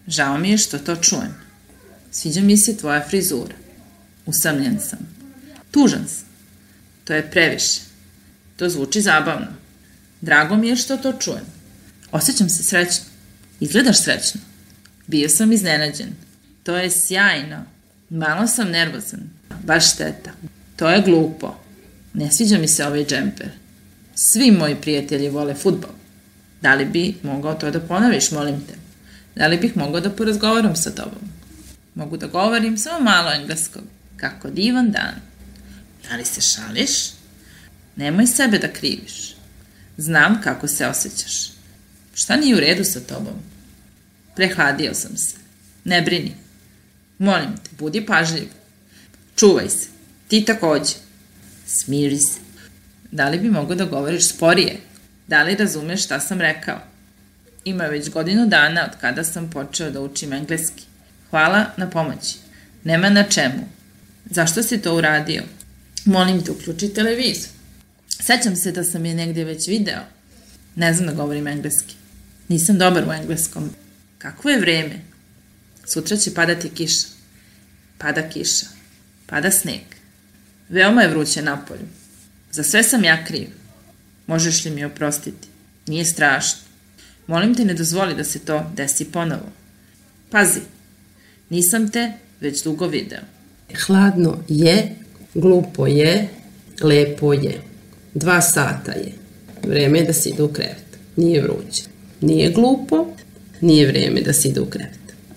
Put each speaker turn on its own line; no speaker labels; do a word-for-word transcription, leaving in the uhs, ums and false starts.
Žao mi je što to čujem. Sviđa mi se tvoja frizura. Usamljen sam. Tužan sam. To je previše. To zvuči zabavno. Drago mi je što to čujem. Osjećam se srećno. Izgledaš srećno. Bio sam iznenađen. To je sjajno. Malo sam nervozan. Baš šteta. To je glupo. Ne sviđa mi se ovaj džemper. Svi moji prijatelji vole fudbal. Da li bi mogao to da ponoviš, molim te? Da li bih mogao da porazgovaram sa tobom? Mogu da govorim samo malo engleskog. Kako divan dan. Da li se šališ? Nemoj sebe da kriviš. Znam kako se osjećaš. Šta nije u redu sa tobom? Prehladio sam se. Ne brini. Molim te, budi pažljiv. Čuvaj se. Ti takođe. Smiri se. Da li bi mogao da govoriš sporije? Da li razumeš šta sam rekao? Ima već godinu dana od kada sam počeo da učim engleski. Hvala na pomoći. Nema na čemu. Zašto si to uradio? Molim te, uključi televizor. Sećam se da sam je negdje već video. Ne znam da govorim engleski. Nisam dobar u engleskom. Kakvo je vreme? Sutra će padati kiša. Pada kiša. Pada sneg. Veoma je vruće napolju. Za sve sam ja kriv. Možeš li mi oprostiti? Nije strašno. Molim te, ne dozvoli da se to desi ponovo. Pazi, nisam te već dugo video.
Hladno je, glupo je, lepo je. Dva sata je. Vreme je da se ide u krevet. Nije vruće. Nije glupo, nije vreme da se ide u krevet.